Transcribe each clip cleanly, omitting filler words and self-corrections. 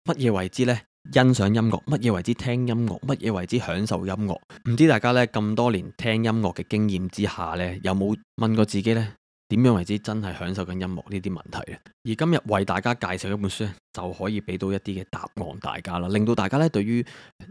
乜嘢為之呢？欣賞音樂，乜嘢為之聽音樂，乜嘢為之享受音樂？唔知大家呢咁多年聽音樂嘅經驗之下呢，有冇問過自己呢？點樣為之真係享受緊音樂呢啲問題呢？而今日為大家介紹一本書呢，就可以俾到一啲嘅答案大家啦，令到大家呢對於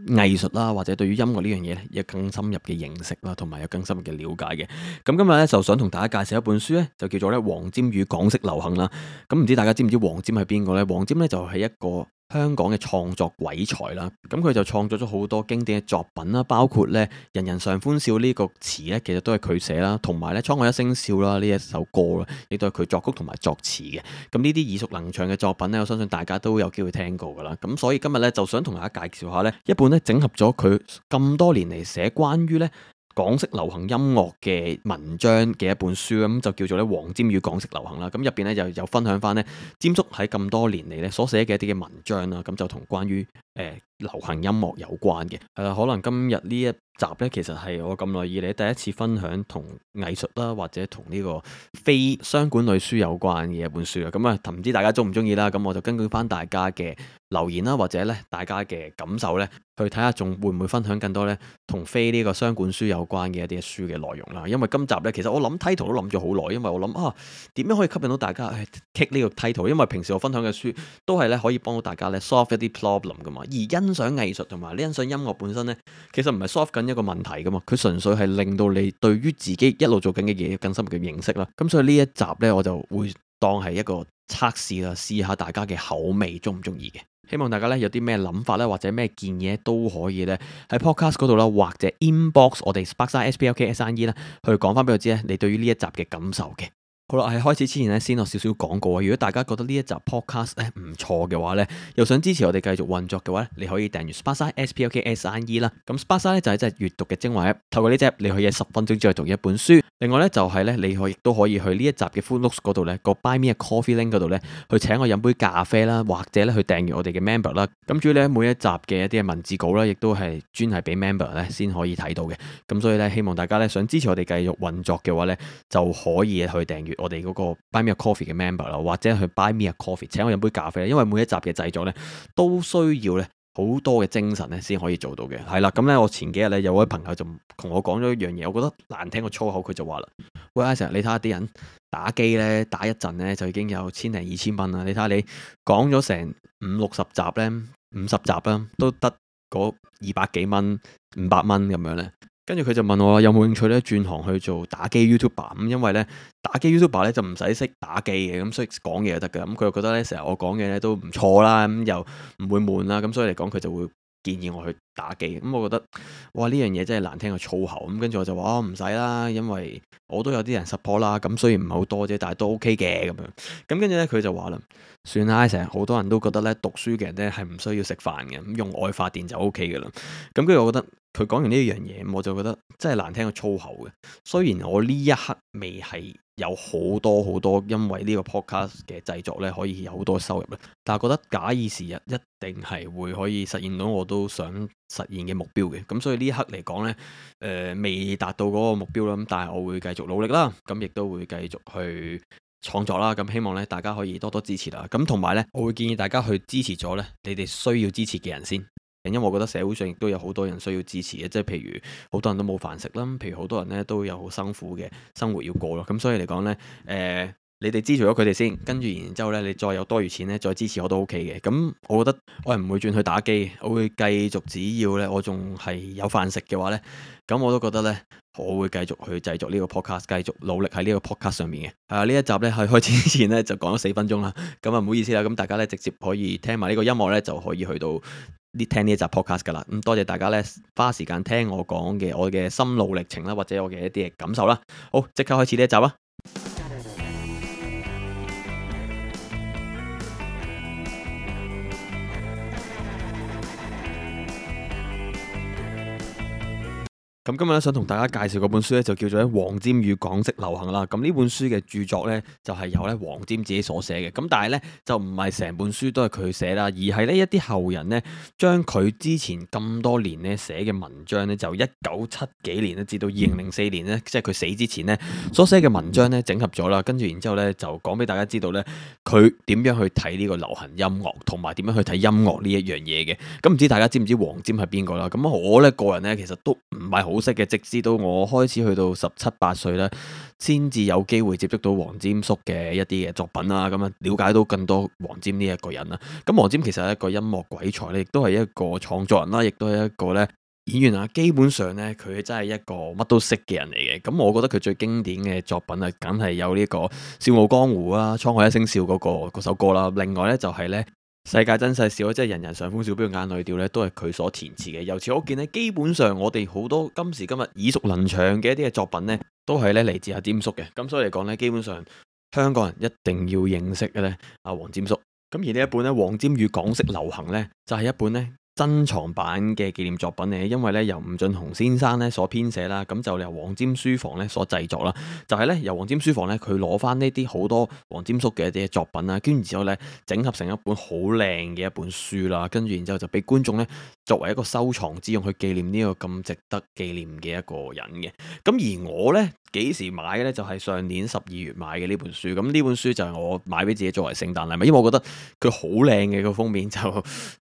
藝術啦，或者對於音樂呢樣嘢呢，有更深入嘅認識啦，同埋有更深入嘅了解嘅。咁今日呢，就想同大家介紹一本書呢，就叫做呢黃霑與港式流行啦。咁唔知大家知唔知黃霑係邊個呢？黃霑呢就係一個香港嘅創作鬼才啦，咁佢就創作咗好多經典嘅作品啦，包括咧人人常歡笑呢個詞咧，其實都係佢寫啦，同埋咧滄海一聲笑啦呢一首歌啦，亦都係佢作曲同埋作詞嘅。咁呢啲耳熟能詳嘅作品咧，我相信大家都有機會聽過噶啦。咁所以今日咧就想同大家介紹下咧一本咧整合咗佢咁多年嚟寫關於咧港式流行音樂嘅文章嘅一本書，咁就叫做咧黃霑與港式流行啦。咁入邊咧就有分享翻咧霑叔喺咁多年嚟咧所寫嘅一啲嘅文章啦，咁就同關於流行音樂有關嘅。可能今日呢一集咧，其實係我咁耐以嚟第一次分享同藝術啦，或者同呢個非商管類書有關嘅一本書啊。咁啊，唔知大家中唔中意啦？咁我就根據翻大家嘅留言啦，或者咧大家嘅感受咧，去睇下仲會唔會分享更多咧同非呢個商管書有關嘅一啲書嘅內容啦。因為今集咧，其實我諗 title 都諗咗好耐，因為我諗點樣可以吸引到大家去 take 呢個 title？ 因為平時我分享嘅書都係咧可以幫到大家咧 solve 一啲 problem 噶嘛，而欣賞藝術同埋欣賞音樂本身咧，其實唔係 solve 緊一個問題噶嘛，佢純粹係令到你對於自己一路做緊嘅嘢有更深入嘅認識啦。咁所以呢一集咧，我就會當係一個測試啦，試下大家嘅口味中唔中意嘅。希望大家咧有啲咩諗法咧，或者咩建議都可以咧喺 podcast 嗰度啦，或者 inbox 我哋 Sparksine SPLKSIE 啦，去講翻俾我知咧，你對於呢一集嘅感受嘅。好啦，喺開始之前咧，先落少少廣告啊！如果大家覺得呢一集 podcast 咧唔錯嘅話咧，又想支持我哋繼續運作嘅話咧，你可以訂閱 Sparksine SPLKSIE 啦。咁 Sparksine 咧就係一隻閱讀嘅精華 app，透過呢隻你可以喺10分鐘之內讀一本書。另外咧就係咧，你亦都可以去呢一集嘅 full notes 嗰度咧，個 Buy Me a Coffee link 嗰度咧，去請我飲杯咖啡啦，或者咧去訂閱我哋嘅 member 啦。咁主要咧每一集嘅一啲文字稿啦，亦都係專係俾 member 咧先可以睇到嘅。咁所以咧，希望大家咧想支持我哋繼續運作嘅話咧，就可以去訂閱我哋嗰個 Buy Me a Coffee 嘅 member 啦，或者去 Buy Me a Coffee 請我飲杯咖啡。因為每一集嘅製作咧都需要咧好多嘅精神咧先可以做到嘅。係啦，咁咧我前幾日咧有位朋友就同我講咗一樣嘢，我覺得難聽個粗口，佢就話啦：喂，Isaac，你睇下啲人打機咧打一陣咧就已經有1000零2000蚊啦，你睇下你講咗成50-60集咧，50集啦，都得嗰200幾蚊、500蚊咁樣咧。跟住佢就問我有冇興趣咧轉行去做打機 YouTuber， 咁因為咧打機 YouTuber 咧就唔使識打機嘅，咁所以講嘢就得㗎。咁佢又覺得咧成日我講嘢咧都唔錯啦，咁又唔會悶啦，咁所以嚟講佢就會建議我去打機。咁我覺得哇，呢樣嘢真係難聽過粗口。咁跟住我就話唔使啦，因為我都有啲人 support 啦，咁雖然唔係好多啫，但係都 OK 嘅咁樣。咁跟住咧佢就話啦，算啦，成日好多人都覺得咧讀書嘅人咧係唔需要食飯嘅，咁用愛發電就 OK 㗎啦。咁跟住我覺得佢講完呢樣嘢，我就覺得真係難聽過粗口嘅。雖然我呢一刻未係有好多因為呢個 podcast 嘅製作咧可以有好多收入咧，但係覺得假以時日一定係會可以實現到我都想實現嘅目標嘅。咁所以呢一刻嚟講咧，未達到嗰個目標啦，咁但係我會繼續努力啦，咁亦都會繼續去創作啦。咁希望咧大家可以多多支持啦。咁同埋咧，我會建議大家去支持咗咧你哋需要支持嘅人先。因為我覺得社會上亦都有好多人需要支持嘅，即係譬如好多人都冇飯食啦，譬如好多人咧都有好辛苦嘅生活要過咯。咁所以嚟講咧，你哋支持咗佢哋先，跟住然之後咧，你再有多餘錢咧，再支持我都 OK 嘅。咁我覺得我係唔會轉去打機，我會繼續，只要咧我仲係有飯食嘅話咧，咁我都覺得咧，我會繼續去製作呢個 podcast，繼續努力喺呢個 podcast 上面嘅。呢一集咧喺開始之前咧就講咗4分鐘啦，咁唔好意思啦，咁大家咧直接可以聽埋呢個音樂咧就可以去到聽呢一集 podcast 噶啦。咁多謝大家咧花時間聽我講嘅我嘅心路歷程啦，或者我嘅一啲嘅感受啦。好，即刻開始呢一集啊！咁今日咧想同大家介紹嗰本書咧就叫做咧黃霑與港式流行啦。咁呢本書嘅著作咧就係由咧黃霑自己所寫嘅。咁但係咧就唔係成本書都係佢寫啦，而係呢一啲後人咧將佢之前咁多年咧寫嘅文章咧，就1970幾年咧至到2004年咧，即係佢死之前咧所寫嘅文章咧整合咗啦。跟住然之後咧就講俾大家知道咧佢點樣去睇呢個流行音樂，同埋點樣去睇音樂呢一樣嘢嘅。咁唔知大家知唔知黃霑係邊個啦？咁我咧個人咧其實都唔係好識嘅，直至到我開始去到17、18歲咧，先至有機會接觸到黃霑叔嘅一啲嘅作品啦，咁啊了解到更多黃霑呢一個人啦。咁黃霑其實係一個音樂鬼才咧，亦都係一個創作人啦，亦都係一個咧演員啊。基本上咧，佢真係一個乜都識嘅人嚟嘅。咁我覺得佢最經典嘅作品啊，梗係有呢個《笑傲江湖》啊，《滄海一聲笑》嗰首歌啦。另外咧就係咧。世界真細小，即係人人上風笑，邊個眼淚掉咧，都係佢所填詞嘅。由此可見咧，基本上我哋好多今時今日耳熟能詳嘅一啲嘅作品咧，都係咧嚟自阿霑叔嘅。咁所以嚟講咧，基本上香港人一定要認識嘅咧，阿黃霑叔。咁而呢一本咧《黃霑與港式流行》咧，就係一本咧珍藏版嘅紀念作品嚟，因為咧由吳俊雄先生咧所編寫啦，咁就由黃霑書房咧所製作啦，就係咧由黃霑書房咧佢攞翻呢啲好多黃霑叔嘅一啲作品啦，跟住之後咧整合成一本好靚嘅一本書啦，跟住然之後就俾觀眾咧作為一個收藏之用去紀念呢個咁值得紀念嘅一個人嘅。咁而我咧幾時買嘅咧？就係上年12月買嘅呢本書。咁呢本書就係我買俾自己作為聖誕禮物，因為我覺得佢好靚嘅個封面，就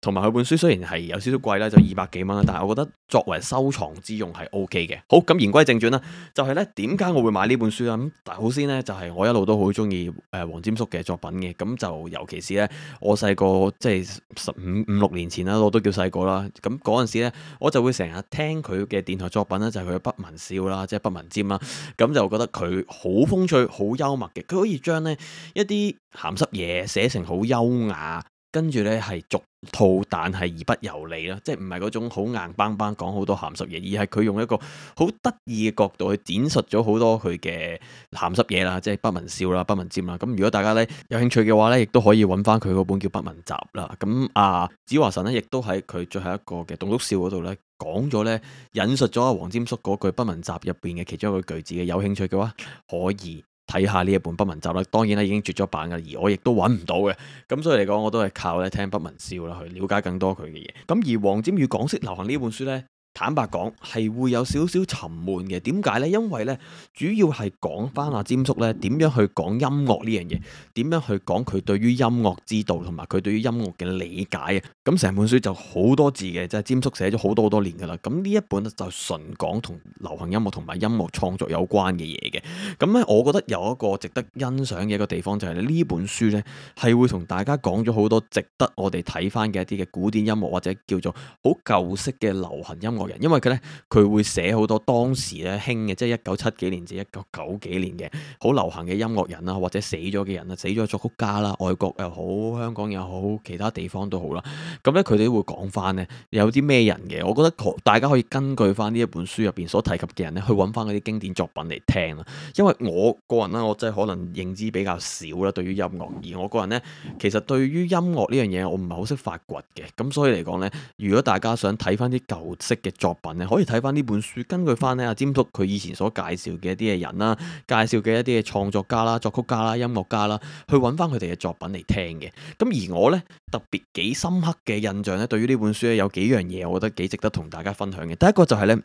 同埋佢本書雖然係有少少貴啦，就200幾蚊啦，但係我覺得作為收藏之用係 OK 嘅。好，咁言歸正傳啦，就係咧點解我會買呢本書啦？咁但係好先咧，就係我一路都好中意黃霑叔嘅作品嘅。咁就尤其是咧，我細個即係15、16年前啦，我都叫細個啦。咁嗰陣時咧，我就會成日聽佢嘅電台作品啦，就係佢嘅不文笑啦，即係不文霑啦。咁就覺得佢好風趣、好幽默嘅，佢可以將呢一啲鹹濕嘢寫成好優雅，跟住呢係俗套，但係而不油膩啦，即係唔係嗰種好硬邦邦講好多鹹濕嘢，而係佢用一個好得意嘅角度去展述咗好多佢嘅鹹濕嘢啦，即係不文笑啦、不文霑啦。咁如果大家呢有興趣嘅話呢，亦都可以揾翻佢嗰本叫《不文集》啦。咁子華神呢，亦都喺佢最後一個嘅棟篤笑嗰度呢。講咗咧，引述咗阿黃霑叔嗰句不文集入邊嘅其中一個句子嘅，有興趣嘅話可以睇下呢一本不文集啦。當然啦，已經絕咗版噶，而我亦都揾唔到嘅。咁所以嚟講，我都係靠咧聽不文笑啦，去了解更多佢嘅嘢。咁而黃霑與港式流行呢本書呢，坦白講係會有少少沉悶嘅。點解呢？因為呢，主要係講翻阿霑叔呢點樣去講音樂呢樣嘢，點樣去講佢對於音樂之道同埋佢對於音樂嘅理解啊。咁成本書就好多字嘅，即係霑叔寫咗好多年噶啦。咁呢一本就純講同流行音樂同埋音樂創作有關嘅嘢嘅。咁咧，我覺得有一個值得欣賞嘅一個地方就係呢本書呢係會同大家講咗好多值得我哋睇翻嘅一啲嘅古典音樂或者叫做好舊式嘅流行音樂人，因為佢會寫好多當時咧興嘅，即係1970幾年至1990幾年嘅好流行嘅音樂人啦，或者死咗嘅人啦，死咗作曲家啦，外國又好，香港又好，其他地方都好啦。咁咧，佢哋都會講翻咧有啲咩人嘅。我覺得大家可以根據翻呢一本書入邊所提及嘅人咧，去揾翻嗰啲經典作品嚟聽啦。因為我個人咧，我真係可能認知比較少啦，對於音樂。而我個人咧，其實對於音樂呢樣嘢，我唔係好識發掘嘅。咁所以嚟講咧，如果大家想睇翻啲舊式嘅作品咧，可以睇翻呢本書，根據翻咧阿霑叔佢以前所介紹嘅一啲嘅人啦，介紹嘅一啲嘅創作家啦、作曲家啦、音樂家啦，去揾翻佢哋嘅作品嚟聽嘅。咁而我咧特別幾深刻嘅印象咧，對於呢本書咧有幾樣嘢，我覺得幾值得同大家分享嘅。第一個就係咧，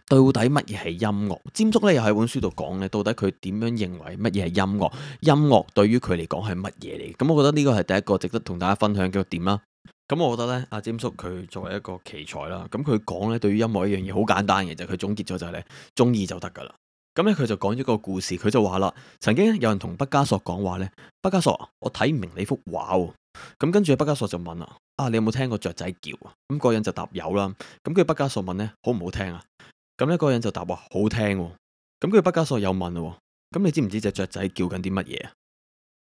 到底乜嘢係音樂？霑叔咧又喺本書度講咧，到底佢點樣認為乜嘢係音樂？音樂對於佢嚟講係乜嘢嚟？咁我覺得呢個係第一個值得同大家分享嘅點啦。咁我覺得咧，阿霑叔佢作為一個奇才啦，咁佢講咧對於音樂一樣嘢好簡單嘅，就係佢總結咗就係咧，中意就得噶啦。咁咧佢就講咗個故事，佢就話啦，曾經有人同畢加索講話咧，畢加索，我睇唔明你幅畫喎。咁跟住畢加索就問啦，你有冇聽過雀仔叫啊？咁嗰個人就答有啦。咁跟住畢加索問咧，好唔好聽啊？咁咧嗰個人就答話好聽喎。咁跟住畢加索又問喎，咁你知唔知隻雀仔叫緊啲乜嘢啊？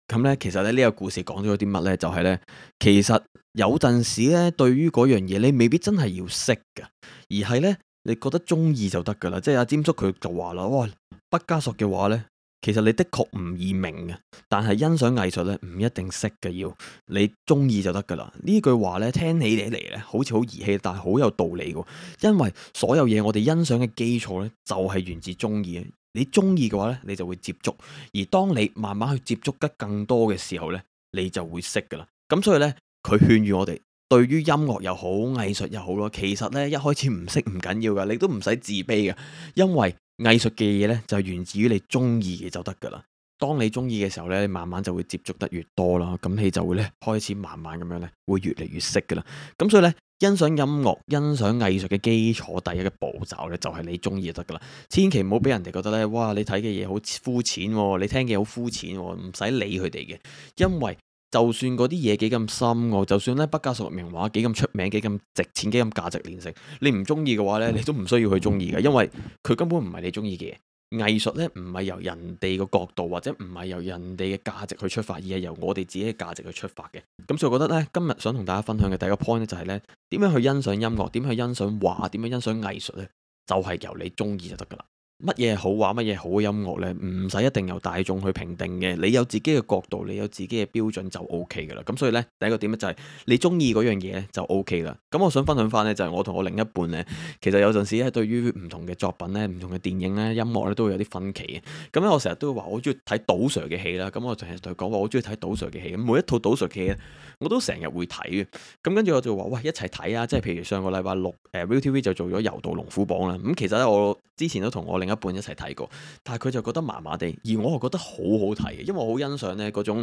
咁咧，其實咧呢個故事講咗啲乜咧？就係咧，其實有陣時咧，對於嗰樣嘢，你未必真係要識噶，而係咧，你覺得中意就得噶啦。即係阿霑叔佢就話啦，哇，畢加索嘅畫咧，其實你的確唔易明嘅，但係欣賞藝術咧唔一定識嘅，要你中意就得噶啦。呢句話咧聽起嚟咧好似好兒戲，但係好有道理嘅。因為所有嘢我哋欣賞嘅基礎咧就係源自中意嘅。你中意嘅話咧，你就會接觸，而當你慢慢去接觸得更多嘅時候咧，你就會識噶啦。咁所以咧，佢勸喻我哋，對於音樂又好，藝術又好咯，其實咧一開始唔識唔緊要噶，你都唔使自卑嘅，因為藝術嘅嘢咧就源自於你中意嘅就得噶啦。當你中意嘅時候咧，你慢慢就會接觸得越多啦，咁你就會咧開始慢慢咁樣咧會越嚟越識噶啦。咁所以咧，欣賞音樂、欣賞藝術嘅基礎第一個步驟咧就係你中意就得噶啦。千祈唔好俾人哋覺得咧，哇！你睇嘅嘢好膚淺喎，你聽嘅好膚淺喎，唔使理佢哋嘅，因為就算嗰啲嘢幾咁深奧，就算咧畢加索名畫幾咁出名、幾咁值錢、幾咁價值連城，你唔中意嘅話咧，你都唔需要去中意嘅，因為佢根本唔係你中意嘅嘢。藝術咧唔係由人哋個角度或者唔係由人哋嘅價值去出發，而係由我哋自己嘅價值去出發嘅。咁所以我覺得咧，今日想同大家分享嘅第一個 point 咧就係咧，點樣去欣賞音樂，點樣去欣賞畫，點樣欣賞藝術咧，就係由你中意就得噶啦。乜嘢好畫，乜嘢好嘅音樂呢？唔使一定由大眾去評定嘅，你有自己嘅角度，你有自己嘅標準就 OK 噶啦。咁所以呢，第一個點咧就係你中意嗰樣嘢咧就 OK 啦。咁我想分享翻呢，就係我同我另一半呢，其實有陣時咧對於唔同嘅作品呢、唔同嘅電影呢、音樂呢，都會有啲分歧嘅。咁咧我成日都會話我中意睇賭 Sir 嘅戲啦。咁我成日同佢講話我中意睇賭 Sir 嘅戲。咁每一套賭 Sir 嘅戲咧，我都成日會睇嘅。咁跟住我就話喂，一齊睇啊！即係譬如上個禮拜六ViuTV 就做咗《柔道龍虎榜》啦。咁其實咧我之前都同我另一半一齊睇過。但係佢就覺得麻麻地，而我又覺得好好睇嘅，因為我好欣賞呢嗰種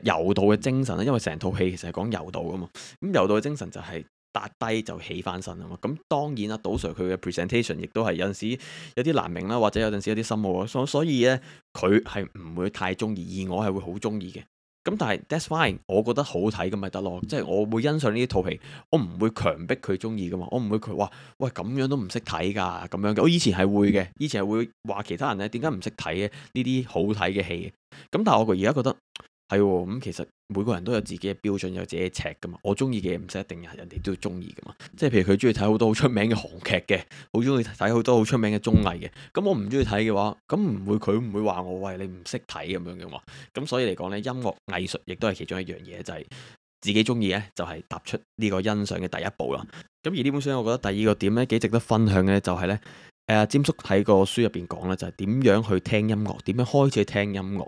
柔道嘅精神咧，因為成套戲其實係講柔道噶嘛，咁柔道嘅精神就係跌低就起翻身啊嘛，咁當然啦，賭 Sir 佢嘅 presentation 亦都係有陣時有啲難明啦，或者有陣時有啲深奧啊，所以呢，佢係唔會太中意，而我係會好中意嘅。咁但係 that's fine，我覺得好睇咁咪得咯，即係我會欣賞呢套戲，我唔會強迫佢中意噶嘛，我唔會佢話喂咁樣都唔識睇噶咁樣嘅，我以前係會嘅，以前係會話其他人咧點解唔識睇嘅呢啲好睇嘅戲，咁但係我而家覺得係喎，咁其實每個人都有自己嘅標準，有自己嘅尺噶嘛，我中意嘅嘢唔使一定人哋都要中意噶嘛，即係譬如佢中意睇好多好出名嘅韓劇嘅，好中意睇好多好出名嘅綜藝嘅，咁我唔中意睇嘅話，咁佢唔會話我喂你唔識睇咁樣嘅嘛，咁所以嚟講呢，音樂藝術亦都係其中一樣嘢，就係自己中意呢，就係踏出呢個欣賞嘅第一步啦。咁而呢本書我覺得第二個點呢，幾值得分享嘅就係呢，詹叔喺個書入邊講呢，就係點樣去聽音樂，點樣開始去聽音樂。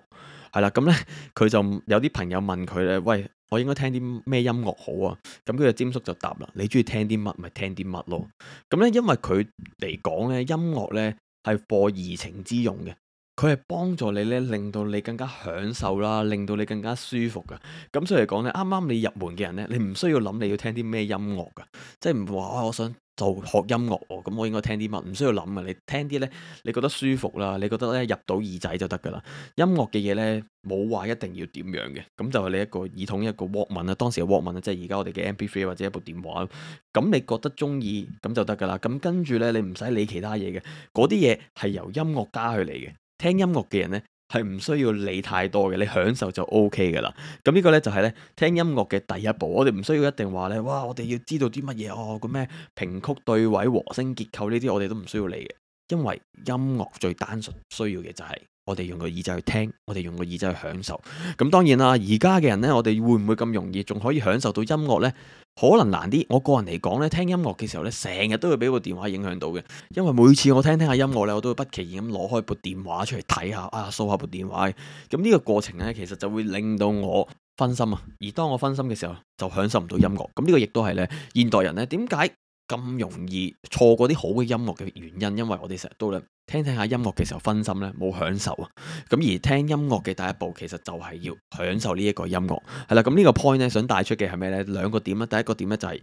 係啦，咁呢，佢就有啲朋友問佢咧，喂，我應該聽啲咩音樂好啊？咁佢個詹叔就答啦，你中意聽啲乜咪聽啲乜咯。咁呢，因為佢嚟講呢，音樂呢係課怡情之用嘅，佢係幫助你呢，令到你更加享受啦，令到你更加舒服噶。咁所以嚟講呢，啱啱你入門嘅人呢，你唔需要諗你要聽啲咩音樂噶，即係唔會話我想就學音樂喎，咁我應該聽啲乜？唔需要諗啊！你聽啲呢，你覺得舒服啦，你覺得咧入到耳仔就得噶啦。音樂嘅嘢呢，冇話一定要點樣嘅，咁就係你一個耳筒一個 Walkman 啦，當時嘅 Walkman 即係而家我哋嘅 MP3 或者一部電話。咁你覺得中意咁就得噶啦。咁跟住呢，你唔使理其他嘢嘅，嗰啲嘢係由音樂加去嚟嘅。聽音樂嘅人呢，係唔需要理太多嘅，你享受就 OK 噶啦。咁呢個呢，就係呢聽音樂嘅第一步。我哋唔需要一定話呢：「哇！我哋要知道啲乜嘢哦，個咩平曲對位、和聲結構呢啲，我哋都唔需要理嘅。因為音樂最單純需要嘅就係我哋用個耳仔去聽，我哋用個耳仔去享受。咁當然啦，而家嘅人呢，我哋會唔會咁容易仲可以享受到音樂呢？可能難啲。我個人嚟講呢，聽音樂嘅時候呢，成日都會俾部電話影響到嘅。因為每次我聽下音樂呢，我都會不其然咁攞開部電話出嚟睇下啊，掃下部電話。咁呢個過程呢，其實就會令到我分心啊。而當我分心嘅時候，就享受唔到音樂。咁呢個亦都係呢現代人呢點解咁容易錯過啲好嘅音樂嘅原因，因為我哋成日都咧聽下音樂嘅時候分心咧，冇享受啊。咁而聽音樂嘅第一步，其實就係要享受呢一個音樂。係啦，咁呢個 point 咧想帶出嘅係咩呢？兩個點啦。第一個點咧就係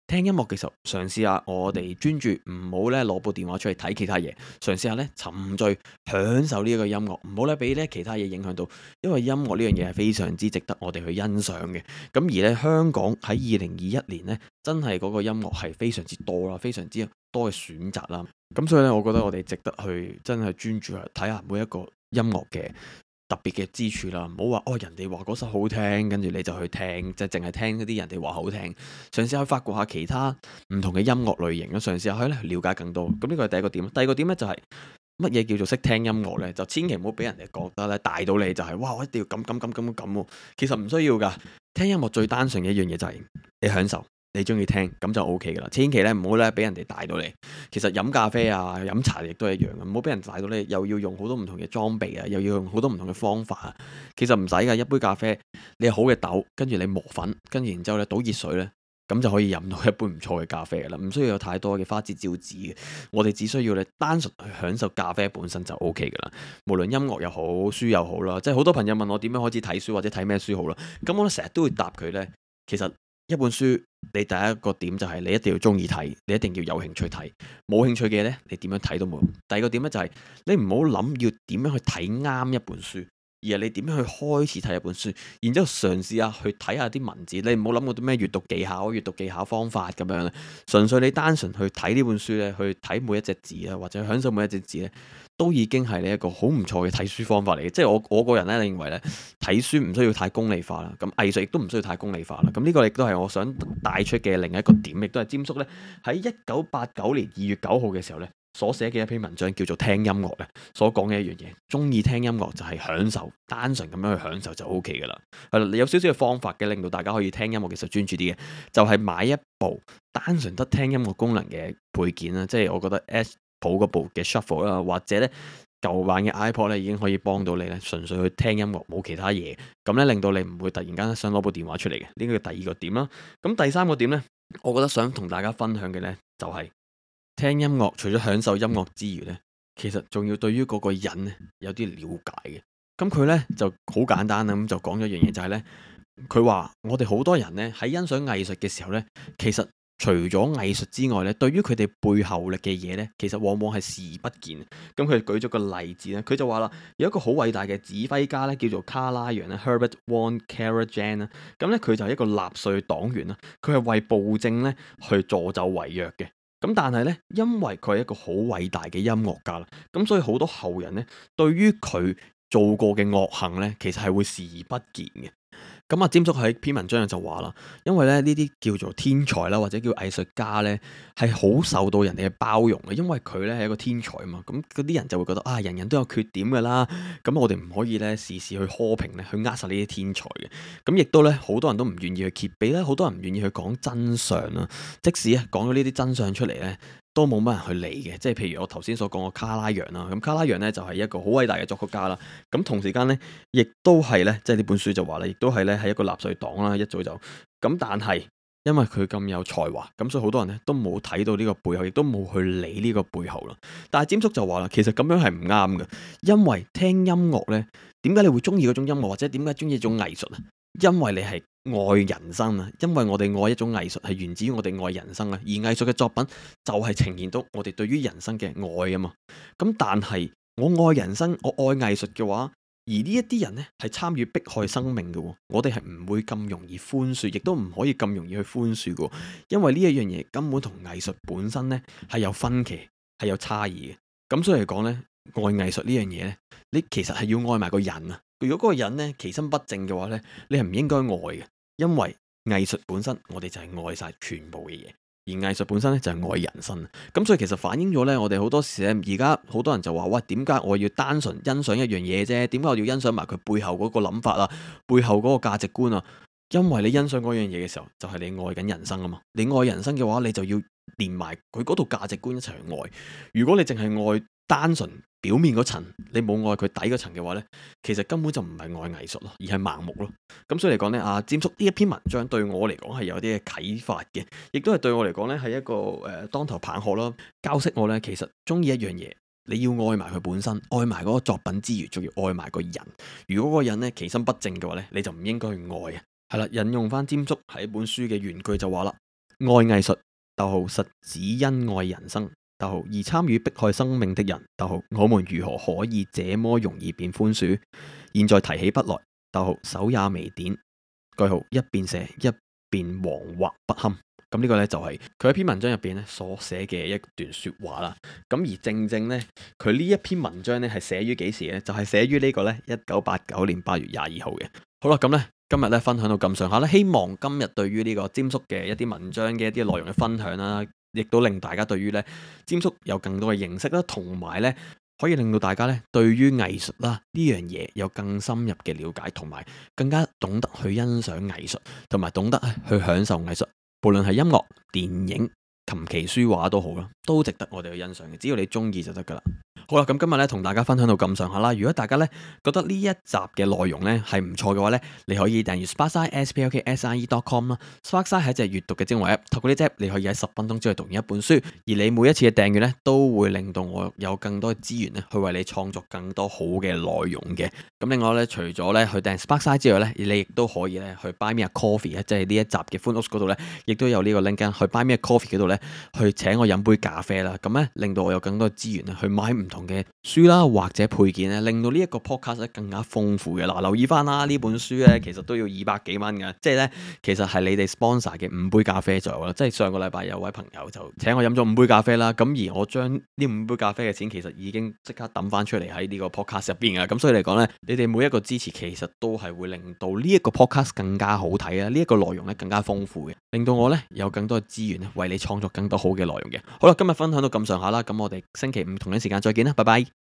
聽音樂嘅時候，嘗試下我哋專注，唔好咧攞部電話出嚟睇其他嘢，嘗試下咧沉醉享受呢一個音樂，唔好咧俾咧其他嘢影響到。因為音樂呢樣嘢係非常之值得我哋去欣賞嘅。咁而咧香港喺2021年呢，真係嗰個音樂係非常之多啦，非常之多嘅選擇啦。咁所以咧，我覺得我哋值得去真係專注去睇下每一個音樂嘅特別嘅之處啦。唔好話哦，人哋話嗰首好聽，跟住你就去聽，就淨係聽嗰啲人哋話好聽。嘗試去發掘下其他唔同嘅音樂類型，嘗試下去咧了解更多。咁呢個係第一個點。第二個點咧就係乜嘢叫做識聽音樂呢？就千祈唔好俾人哋覺得咧大到你就係哇，我一定要咁喎。其實唔需要噶。聽音樂最單純嘅一樣嘢就係你享受，你中意聽咁就 O K 噶啦。千祈咧唔好咧俾人哋大到你。其實飲咖啡啊、飲茶亦都係一樣嘅，唔好俾人大到你，又要用好多唔同嘅裝備啊，又要用好多唔同嘅方法啊。其實唔使噶，一杯咖啡你有好嘅豆，跟住你磨粉，跟住然之後咧倒熱水咧。咁就可以飲到一杯唔錯嘅咖啡噶啦，唔需要有太多嘅花枝招展嘅。我哋只需要咧單純去享受咖啡本身就 O K 噶啦。無論音樂又好，書又好啦，即係好多朋友問我點樣開始睇書或者睇咩書好啦。咁我咧成日都會答佢呢：其實一本書你第一個點就係你一定要中意睇，你一定要有興趣睇。冇興趣嘅呢，你點樣睇都冇用。第二個點呢，就係你唔好諗要點樣去睇啱一本書。而係你點樣去開始睇一本書，然之後嘗試下去睇下啲文字，你唔好諗嗰啲咩閱讀技巧、閱讀技巧方法咁樣咧，純粹你單純去睇呢本書咧，去睇每一隻字啊，或者享受每一隻字咧，都已經係你一個好唔錯嘅睇書方法嚟嘅。即係我個人咧認為咧，睇書唔需要太功利化啦，咁藝術亦都唔需要太功利化啦。咁呢個亦都係我想帶出嘅另一個點，亦都係詹叔咧喺1989年2月9號嘅時候咧，所寫嘅一篇文章叫做聽音樂咧，所講嘅一樣嘢，中意聽音樂就係享受，單純咁樣去享受就 O K 噶啦。係啦，你有少少嘅方法嘅，令到大家可以聽音樂其實專注啲嘅，就係買一部單純得聽音樂功能嘅配件啦，即係我覺得 Apple 嗰部嘅 Shuffle 啦，或者咧舊版嘅 iPod 咧已經可以幫到你咧，純粹去聽音樂冇其他嘢，咁咧令到你唔會突然間想攞部電話出嚟嘅。呢個第二個點啦。咁第三個點咧，我覺得想同大家分享嘅咧就係。聽音樂除咗享受音樂之餘呢，其實仲要對於嗰個人呢有啲了解嘅。咁佢呢就好簡單啦，咁就講咗一樣嘢，就係呢：佢話我哋好多人呢喺欣賞藝術嘅時候呢，其實除咗藝術之外呢，對於佢哋背後嘅嘢呢，其實往往係視而不見。咁佢舉咗個例子呢，佢就話啦，有一個好偉大嘅指揮家呢，叫做卡拉揚咧 （Herbert von Karajan） 啦。咁呢，佢就係一個納粹黨員啦，佢係為暴政呢去助紂為虐嘅。咁但係咧，因為佢係一個好偉大嘅音樂家啦，咁所以好多後人咧，對於佢做過嘅惡行咧，其實係會視而不見嘅。咁啊，詹叔喺篇文章就話啦，因為咧呢啲叫做天才啦，或者叫藝術家咧，係好受到人哋嘅包容嘅，因為佢咧係一個天才啊嘛。咁嗰啲人就會覺得啊，人人都有缺點噶啦，咁我哋唔可以咧時時去苛評咧，去扼殺呢啲天才嘅。咁亦都咧，好多人都唔願意去揭秘咧，好多人唔願意去講真相啦。即使啊講咗呢啲真相出嚟咧，都冇乜人去理嘅。即係譬如我頭先所講嘅卡拉揚啦，咁卡拉揚咧就係一個好偉大嘅作曲家啦。咁同時間咧，亦都係咧，即係呢本書就話啦，亦都係咧係一個納粹黨啦，一早就咁。但係因為佢咁有才華，咁所以好多人咧都冇睇到呢個背後，亦都冇去理呢個背後啦。但係詹叔就話啦，其實咁樣係唔啱嘅，因為聽音樂咧，點解你會中意嗰種音樂，或者點解中意一種藝術啊？因為你係愛人生啊，因為我哋愛一種藝術係源自於我哋愛人生啊，而藝術嘅作品就係呈現到我哋對於人生嘅愛啊嘛。咁但係我愛人生，我愛藝術嘅話，而呢一啲人呢係參與迫害生命嘅，我哋係唔會咁容易寬恕，亦都唔可以咁容易去寬恕嘅，因為呢一樣嘢根本同藝術本身呢係有分歧，係有差異嘅。咁所以嚟講呢，愛藝術呢樣嘢呢，你其實係要愛埋個人啊。如果嗰個人呢其心不正嘅話呢，你係唔應該愛嘅，因為藝術本身我哋就係愛晒全部嘅嘢。而藝術本身咧就係愛人生，咁所以其實反映咗咧，我哋好多時咧，而家好多人就話：喂，點解我要單純欣賞一樣嘢啫？點解我要欣賞埋佢背後嗰個諗法啊，背後嗰個價值觀啊？因為你欣賞嗰樣嘢嘅時候，就係你愛緊人生啊嘛。你愛人生嘅話，你就要連埋佢嗰套價值觀一齊去愛。如果你淨係愛單純表面嗰層，你冇愛佢底嗰層嘅話呢，其實根本就唔係愛藝術咯，而係盲目咯。咁所以嚟講呢，詹叔呢一篇文章對我嚟講係有啲嘅啟發嘅，亦都係對我嚟講呢係一個當頭棒喝咯，教識我呢，其實中意一樣嘢，你要愛埋佢本身，愛埋嗰個作品之餘，仲要愛埋個人。如果嗰個人呢其心不正嘅話呢，你就唔應該去愛啊。係啦，引用翻詹叔喺本書嘅原句就話啦：愛藝術，實只因愛人生。而參與迫害生命的人，我們如何可以這麼容易便寬恕？現在提起筆來，手也微點，一邊寫一邊惶惑不堪。咁呢個呢，就係佢喺篇文章入邊呢所寫嘅一段說話啦。咁而正正呢，佢呢一篇文章呢係寫於幾時呢？就係寫於呢個呢1989年8月22號嘅。好啦，咁呢今日呢分享到咁上下啦，希望今日對於呢個詹叔嘅一啲文章嘅一啲內容嘅分享啦，亦都令大家對於咧詹叔有更多嘅認識啦，同埋咧可以令到大家咧對於藝術啦呢樣嘢有更深入嘅了解，同埋更加懂得去欣賞藝術，同埋懂得去享受藝術。無論係音樂、電影、琴棋書畫都好啦，都值得我哋去欣賞嘅。只要你中意就得噶啦。好啦，咁今日咧同大家分享到咁上下啦。如果大家咧覺得呢一集嘅內容咧係唔錯嘅話咧，你可以訂閱 Sparkside sparkside.com 啦。Sparkside 係一隻閱讀嘅精華 app， 透過呢隻 app 你可以喺10分鐘之內讀完一本書，而你每一次嘅訂閱咧都會令到我有更多嘅資源咧去為你創作更多好嘅內容嘅。咁另外咧，除咗咧去訂 Sparkside 之外咧，你亦都可以咧去 Buy Me a Coffee 即係呢一集嘅 Footnotes 嗰度咧，亦都有呢個 link 去 Buy Me a Coffee 嗰度咧去請我飲杯咖啡啦。咁咧令到我有更多資源咧去買唔同嘅書啦，或者配件咧，令到呢一個 podcast 咧更加豐富嘅。嗱，留意翻啦，呢本書咧其實都要200幾蚊嘅，即係咧其實係你哋 sponsor 嘅5杯咖啡左右啦。即係上個禮拜有位朋友就請我飲咗5杯咖啡啦，咁而我將呢5杯咖啡嘅錢其實已經即刻抌翻出嚟喺呢個 podcast 入邊嘅。咁所以嚟講咧，你哋每一個支持其實都係會令到呢一個 podcast 更加好睇啊，呢一個內容咧更加豐富嘅，令到我咧有更多嘅資源咧為你創作更多好嘅內容嘅。好啦，今日分享到咁上下啦，咁我哋星期五同一時間再見啦，拜拜。